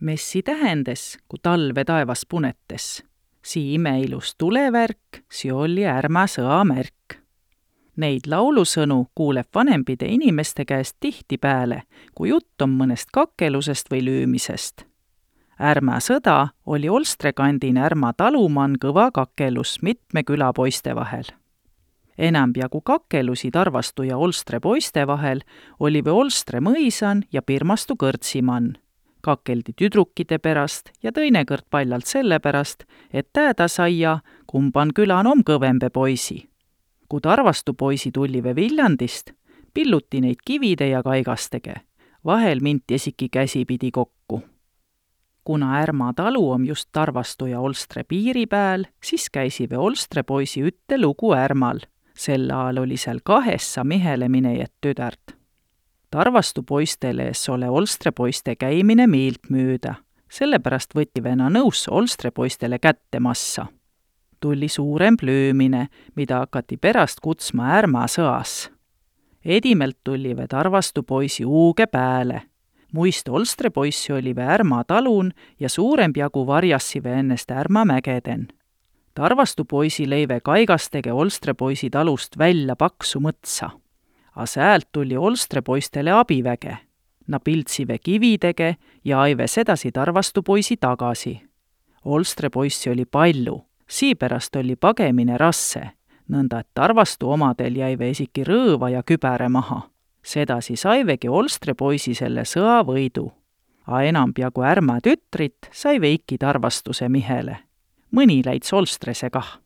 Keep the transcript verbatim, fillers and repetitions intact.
Messi tähendes, ku talve taevas punetes. Sii imeilus tulevärk, sii oli ärmä sõa märk. Neid laulusõnu kuuleb vanempide inimeste käest tihtipeale, kui jutt on mõnest kakelusest või lüümisest. Ärmä sõda oli Olstrekandin ärma taluman kõva kakelus mitme küla poiste vahel. Enambjagu kakelusi Tarvastu ja Olstre poiste vahel oli või Olstre mõisan ja Pirmastu kõrtsimann. Kakeldi tüdrukide pärast ja tõinekõrd paljalt selle pärast, et tääda saia, kumban külan om kõvembe poisi. Ku Tarvastu poisi tullive Viljandist, pilluti neid kivide ja kaigastege. Vahel minti esiki käsipidi kokku. Kuna ärma talu om just Tarvastu ja Olstre piiri pääl, siis käisive Olstre poisi ütte lugu ärmal. Sel ajal oli seal kahessa mihele minejet tüdärt. Tarvastu poistele ees ole Olstre poiste käimine miilt müüda. Sellepärast võtivena nõus Olstre poistele kätte massa. Tulli suurem plöömine, mida hakati pärast kutsma ärma sõas. Edimelt tullive Tarvastu poisi uuge pääle. Muist Olstre poissi olive ärma talun ja suuremp jagu varjassive ennest ärma mägeden. Tarvastu poisi leive kaigastege Olstre poisi talust välja paksu mõtsa. A säält tuli Olstre poistele abiväge. Na piltsive kividege ja aive sedasi Tarvastu poisi tagasi. Olstre poissi oli palju, siipärast oli pagemine rasse, nõnda et Tarvastu omadel jäive esiki rõõva ja kübäre maha. Sedasi saivegi Olstre poisi selle sõa võidu. A enambjagu ärma tütrit sai veiki Tarvastuse mihele. Mõni läits Olstrese kah.